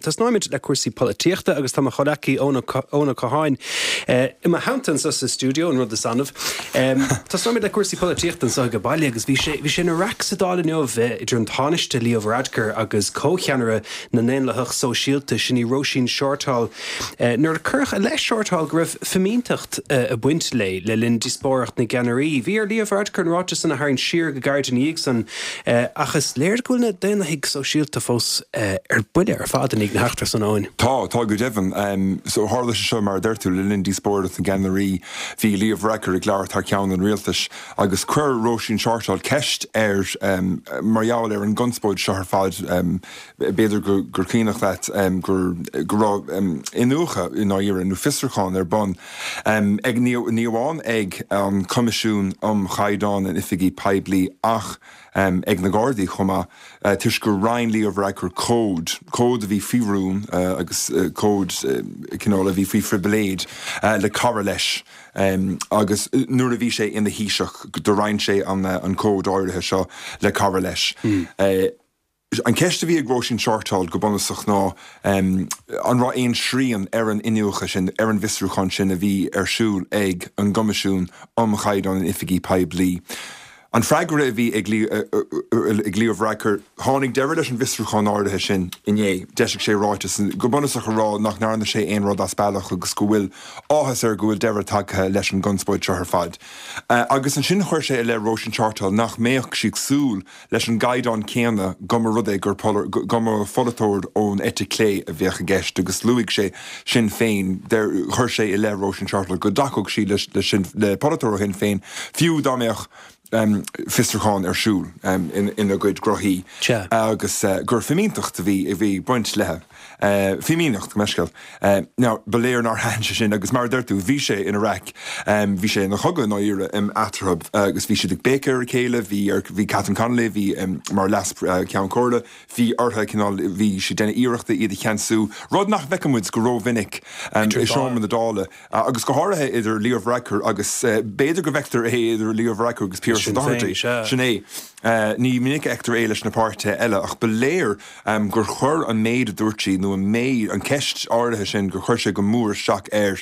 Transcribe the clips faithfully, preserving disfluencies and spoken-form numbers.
Tosnóimid le cúrsaí polaitíochta agus tá mo chomhghleacaí Eoin Ó Catháin i mo theannta anseo sa stiúideo, an rud is annamh. Tosnóimid le cúrsaí polaitíochta anseo ag baile agus bhí sé bhí sé ina raic sa Dáil inniu idir an Tánaiste Leo Varadkar agus comhcheannaire na nDaonlathach Sóisialta, sin í Róisín Shortall. Nuair a cuireadh i leith Shortall go raibh fimínteacht ag baint léi le linn díospóireacht na gceannairí. Bhí ar Leo Varadkar an ráiteas san a tharraingt siar go gairid ina dhiaidh san, ach is léir go bhfuil na Daonlathaigh Sóisialta fós ar buile ar fad i ndiaidh na heachtra san, Eoin. Tá, tá go deimhin. So tharla sé seo, mar a deir tú, le linn díospóireacht na gceannairí. Bhí Leo Varadkar ag labhairt thar ceann an rialtais agus chuir Róisín Shortall ceist air mar gheall ar an gconspóid seo ar fad. B'fhéidir gur cuimhneach leat gur go raibh iniúchadh i ndáiríre nó fiosrúchán ar bun ag ní amháin ag an Coimisiún um Chaighdeán in Oifigí Poiblí ach ag na Gardaí chomh maith, toisc gur roinn Leo Varadkar comhad, comhad a bhí faoi rún agus comhad cineál a bhí faoi phribhléid le cara leis agus nuair a bhí sé ina Thaoiseach do roinn sé an comhad áirithe seo le cara leis. An ceist a bhí ag Róisín Shortall go bunúsach ná an raibh aon srian ar an iniúchadh sin, ar an bhfiosrúchán sin a bhí ar siúl ag an gCoimisiún um Chaighdeán in Oifigí Poiblí. An freagra a bhí ag Leo Varadkar, tháinig deireadh leis an bhfiosrúchán áirithe sin inné. D'eisigh sé ráiteas go bunúsach a rá nach ndearna sé aon rud as bealach agus go bhfuil áthas air go bhfuil deireadh tagtha leis an gconspóid seo ar fad. Agus ansin chuir sé i leith Róisín Shortall nach mbeadh sí ag súil leis an gcaighdeán céanna go mba rud é gur go mba pholaiteoir ón eite chlé a bheadh i gceist agus luaigh sé Sinn Féin, chuir sé i leith Róisín Shortall go dtacódh sí le polaiteoir ó Shinn Féin fiú dá mbeadh fiosrúchán ar siúl ina gcuid gnóthaí agus gur fimínteacht a bhí a bhí ag baint léi. Fimíneacht, gabh mo leithscéal. Now, ba léir nár thaitin sé sin agus mar a deir tú, bhí sé ina raic, bhí sé ina chogadh i ndáiríre eatarthu agus bhí siad ag béiceadh ar a chéile, bhí ar, bhí Catherine Connolly, bhí mar leas Ceann Comhairle, bhí uirthi cineál, bhí sí ag déanamh iarrachta iad a cheansú, rud nach bhfeiceann muid go rómhinic i seomra na Dála. Agus go háirithe idir Leo Varadkar agus, b'fhéidir go bhfeictear é idir Leo Varadkar agus Pearse Doherty. Sin é. Ní minic a fheictear é leis na páirtithe eile ach ba léir gur chuir an méid a dúirt sí nó an méid, an ceist áirithe sin, gur chuir sé go mór isteach air.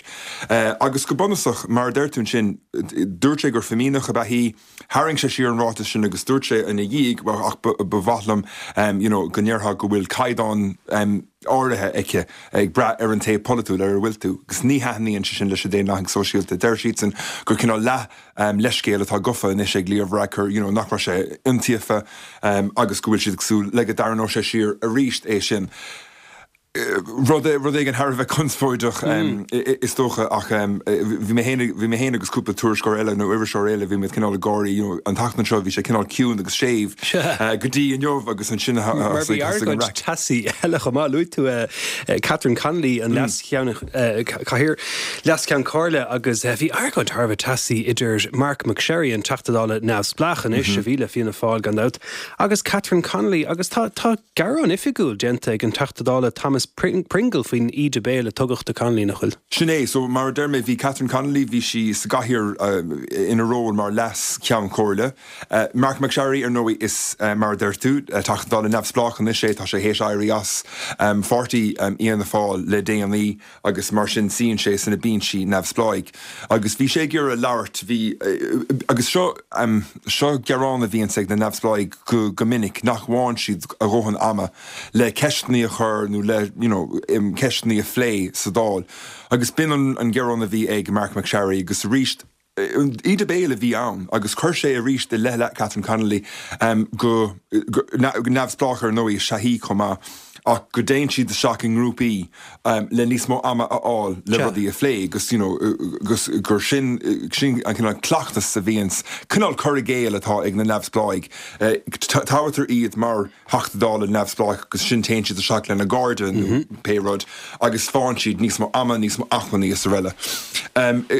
Agus go bunúsach, mar a deir tú ansin, dúirt sé gur fimíneach ab ea í, Tharraing sé siar an ráiteas sin agus dúirt sé ina dhiaidh, bhuel, ach ba mhaith liom you know go ndéarfá go bhfuil caighdeán áirithe aici ag brath ar an taobh polaitiúil ar a bhfuil tú. Agus ní thaitníonn sé sin leis na Daonlathaigh Sóisialta. Deir siadsan gur cineál leath leithscéal atá gafa anois ag Leo Varadkar, you know nach raibh sé iontaofa agus go bhfuil siad ag súil le go dtarraingeodh sé siar arís é sin. Rud rud éigin thar a bheith conspóideach is dócha ach bhí mé féin bhí mé féin agus cúpla tuairisceoir eile nó iriseoir eile bhí muid cineál ag gáirí you know an tseachtain seo bhí sé cineál ciúin agus séimh go dtí inniu agus ansin Mar bhí argóint teasaí eile chomh maith. Luaigh tú Catherine Connolly an leas-cheann cathaoir leas-cheann comhairle agus bhí argóint thar a bheith teasaí idir Marc MacSharry an Teachta Dála neamhspleách anois a bhí le Fianna Fáil gan dabht agus Catherine Connolly agus tá tá Gearán oifigiúil déanta ag an Teachta Dála Thomas Pringle faoin íde béil a tugadh do Connolly, nach bhfuil? Sin é. So, mar a deir mé, bhí Catherine Connolly, bhí sí sa gcathaoir ina ról mar Leas-Cheann Comhairle. Marc MacSharry, ar ndóigh, is, mar a deir tú, Teachta Dála neamhspleách anois é, tá sé théis éirí as pháirtí Fhianna Fáil le déanaí agus mar sin suíonn sé sna binsí neamhspleáigh. Agus bhí sé ag iarraidh labhairt, bhí, agus seo, seo gearán a bhíonns ag na neamhspleáigh go, go minic, nach bhfaigheann siad a dhóthain ama le ceisteanna a chur nó le, you know, ceisteanna a phlé sa Dáil. Agus b'in an, an gearán a bhí ag Marc MacSharry agus arís, íde béil a bhí ann agus chuir sé arís i leith Catherine Connolly go, go, neamhspleách ar ndóigh is ea í chomh maith ach go dtéann siad isteach i ngrúpaí le níos mó ama a fháil le rudaí a phlé agus you know agus gur sin sin an cineál cleachtas a bhíonns, cineál cur i gcéill atá ag na neamhspleáigh. Toghtar iad mar Theachta Dála neamhspleách agus sin téann siad isteach lena gcairde nó pé rud agus faigheann siad níos mó ama, níos mó acmhainní is araile.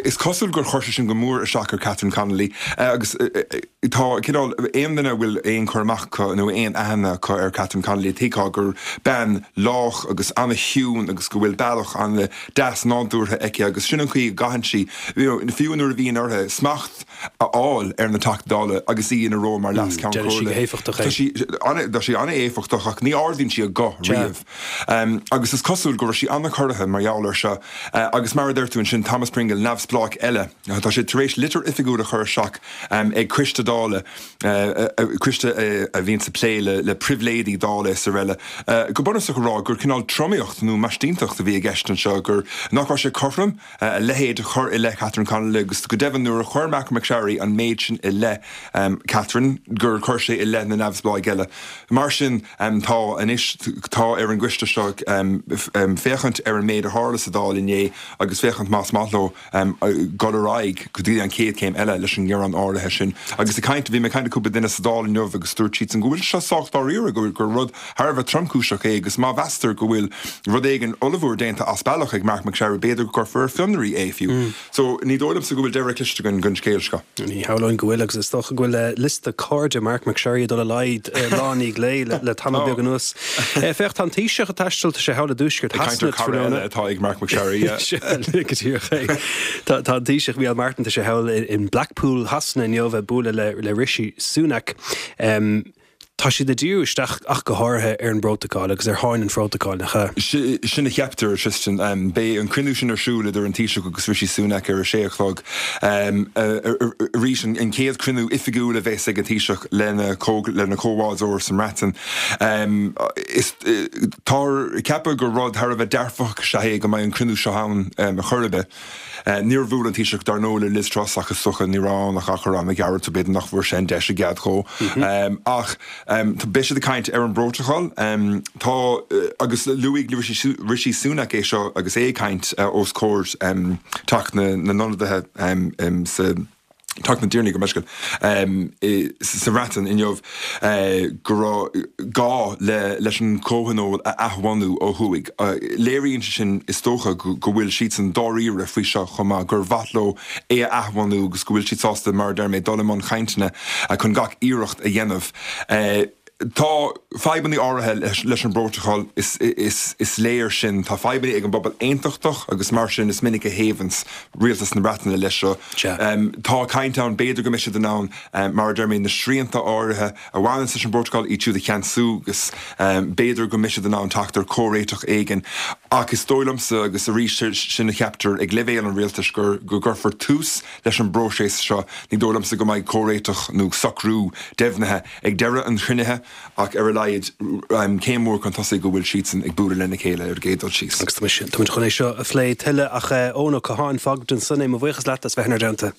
Is cosúil gur chuir sé sin go mór isteach ar Catherine Connolly agus tá cineál aon duine a bhfuil aon chur amach acu nó aon aithne acu ar Catherine Connolly tuigfidh gur bean bean lách agus an-chiúin agus go bhfuil bealach an-deas nádúrtha aici agus sin an chaoi a gcaitheann sí, you know, fiú nuair a bhíonn uirthi smacht a fháil ar na Teachtaí Dála agus í ina ról mar Leas-Cheann Déanann sí go Comhairle. héifeachtach é. Tá sí ana- tá sí an-éifeachtach ach ní ardaíonn sí a guth riamh. Um, agus is cosúil go raibh sí an-chorraithe mar gheall air seo uh, agus mar a deir tú ansin Thomas Pringle neamhspleách eile. Tá sé tar éis litir oifigiúil a chur isteach um, ag Coiste Dála uh, uh, Coiste uh, a bhíonn ag plé le, le pribhléidí Dála is araile. Uh, go bunúsach a rá gur cineál tromaíocht nó maisínteacht a bhí i gceist anseo gur nach raibh sé cothrom uh, a leithéid a chur i leith Catherine Connolly agus go deimhin nuair a chuir Marc MacSharry an méid sin i leith um, Catherine gur chuir sé i leith na neamhspleách eile. Mar sin um, tá anois tá ar an gcoiste seo um, um, féachaint ar an méid a tharla sa Dáil inné agus féachaint más maith leo um, dul ar aghaidh go dtí an chéad chéim eile leis an ngearán áirithe sin. Agus ag caint bhí mé ag caint le cúpla duine sa Dáil inniu agus dúirt siad go bhfuil seo sách dáiríre go gur rud thar a bheith tromchúiseach é agus má mheastar go bhfuil rud éigin ollmhór déanta as bealach ag Marc MacSharry b'fhéidir go gcuirfear ar fionraí é fiú. Mm. So ní dóigh liomsa go bhfuil deireadh cliste den den scéal seo. Ní hamháin go bhfuil agus is dócha go bhfuil eh, liosta cairde Marc MacSharry dul i laghad eh, lá i ndiaidh lae le, le tamall beag anuas. Eh, Féach tá an Taoiseach ag taisteal tá sé thall i dtuaisceart Caint cara eile atá ag Marc MacSharry. yeah. go díreach é. Tá tá an Taoiseach Micheál Martin tá sé thall in Blackpool Shasana inniu ag bualadh le le Rishi Sunak. Um, Tá siad ag díriú isteach ach go háirithe ar an bprótacal agus ar tháin an phrótacail nach ea. Si- Sin a cheaptar Tristan um, beidh an cruinniú sin ar siúl idir an Taoiseach agus Rishi Sunak ar a sé a chlog um, arís an an chéad chruinniú oifigiúil a bheas ag an Taoiseach lena có- lena chomhbhádóir sa mBreatain. Um, is eh, tá ceapadh gur rud thar a bheith dearfach sé é go mbeidh an cruinniú seo ann um, a churbe. Uh, Níor bhuail an Taoiseach dar ndóigh le Liz Truss ach is dócha ní raibh ach achar an gearr b'fhéidir nach bhfuair sé an deis i gceart dó. Um, ach um, tá beidh siad ag caint ar an bprótacal um, tá uh, agus luaigh Rishi, Rishi Sunak é seo agus é ag caint uh, os comhair um, Teach na, na n-ionadaithe um, um, sa Teach na dTiarnaí go meiscail um, sa Bhreatain inniu uh, go raibh gá le, leis an comhthionól a athbhunú ó thuaidh. Uh, léiríonn sé sin is dócha go, go bhfuil siad san dáiríre faoi seo chomh maith gur mhaith leo é a athbhunú agus go bhfuil siad sásta mar deir mé dul i mbun cainteanna uh, chun gach iarracht a dhéanamh. Uh, Tá fadhbanna áirithe leis, leis an bprótacal is, is, is léir sin tá fadhbanna ag an bpobal aontachtach agus mar sin is minic a thaobhaíonn rialtas na Breataine leis seo. Sea. Um, tá caint ann b'fhéidir go mbeidh siad in ann um, mar deir mé na srianta áirithe a bhaineann leis an bprótacal iad siúd a cheansú agus um, b'fhéidir go mbeidh siad in ann teacht ar chomhréiteach éigin ach is dóigh liomsa agus arís sin a cheaptar ag leibhéal an rialtais gur go gcuirfear tús leis an bpróiseas seo ní dóigh liomsa go mbeidh comhréiteach nó socrú deimhnithe ag deireadh an chruinnithe ach ar a laghad um, céim mhór chun tosaigh go bhfuil siadsan ag bualadh lena chéile ar an gcéad dul síos. Agus tá muid chun é seo a phlé tuilleadh ach Eoin Ó Catháin fágfaimid ansin é mo bhuíochas leat as bheith inár dteannta.